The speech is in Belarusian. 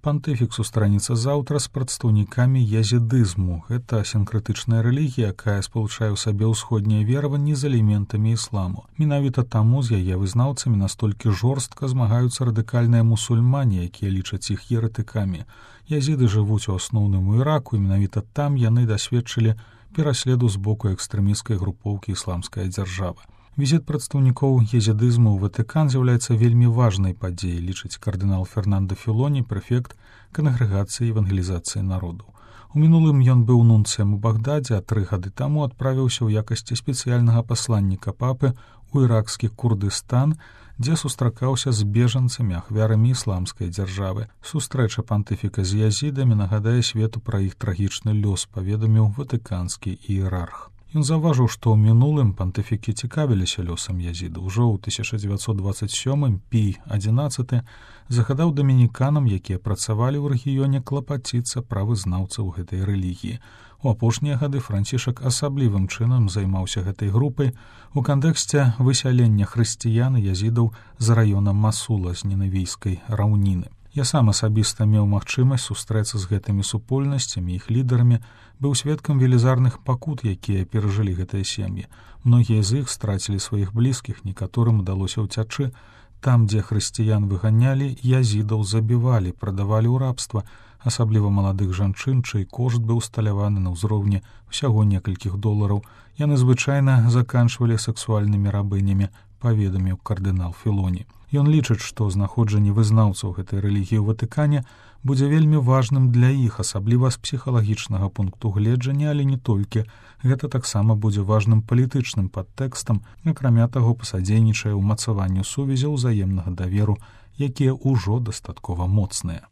Пантыфік сустраніцца заўтра з прадстаўнікамі язідызму. Гэта сінкрэтычная рэлігія, якая спалучае ў сабе ўсходнія вераванні з элементамі ісламу. Менавіта таму з яе вызнаўцамі настолькі жорстка змагаюцца радыкальныя мусульмане, якія лічаць іх еретыкамі. Язіды жывуць у асноўным у Іраку, і менавіта там яны дасведчылі пераследу з боку экстрэмісцкай групоўкі ісламская дзяржава. Візіт прадстаўнікоў езідызму ў Ватыкан з'яўляецца вельмі важнай падзеяй, лічыць кардынал Фернандо Філоні, прэфект кангрэгацыі евангелізацыі народу. У мінулым ён быў нунцыем у Багдадзе, а 3 гады таму адправіўся ў якасці спецыяльнага пасланніка папы ў іракскі Курдыстан, дзе сустракаўся з бежанцамі, ахвярамі ісламскай дзяржавы. Сустрэча пантыфіка з язідамі нагадае свету пра іх трагічны лёс, паведаміў ватыканскі іерарх. Ён заўважыў, што ў мінулым пантыфікі цікавіліся лёсам язіда. Ужо ў 1927 Пій XI загадаў дамініканам, якія працавалі ў рэгіёне, клапаціцца пра вызнаўцаў гэтай рэлігіі. У апошнія гады Францішак асаблівым чынам займаўся гэтай групай у кантэксце высялення хрысціян і язідаў з раёна Масула з нінавійскай раўніны. Я сам асабіста меў магчымасць сустрэцца з гэтымі супольнасцямі, іх лідарамі, быў сведкам велізарных пакут, якія перажылі гэтыя сем'і. Многія з іх страцілі сваіх блізкіх, некаторым удалося ўцячы. Там, дзе хрысціян выганялі, язідаў забівалі, прадавалі ў рабства, асабліва маладых жанчын, чый кошт быў усталяваны на ўзроўні ўсяго некалькіх долараў. Яны звычайна заканчвалі сексуальнымі рабынямі, паведаміў кардынал Філоні. Ён лічыць, што знаходжанне вызнаўцаў гэтай рэлігіі ў Ватыкане будзе вельмі важным для іх, асабліва з псіхалагічнага пункту гледжання, але не толькі. Гэта таксама будзе важным палітычным падтэкстам, акрамя таго пасадзейнічае ўмацаванню сувязяў узаемнага даверу, якія ўжо дастаткова моцныя.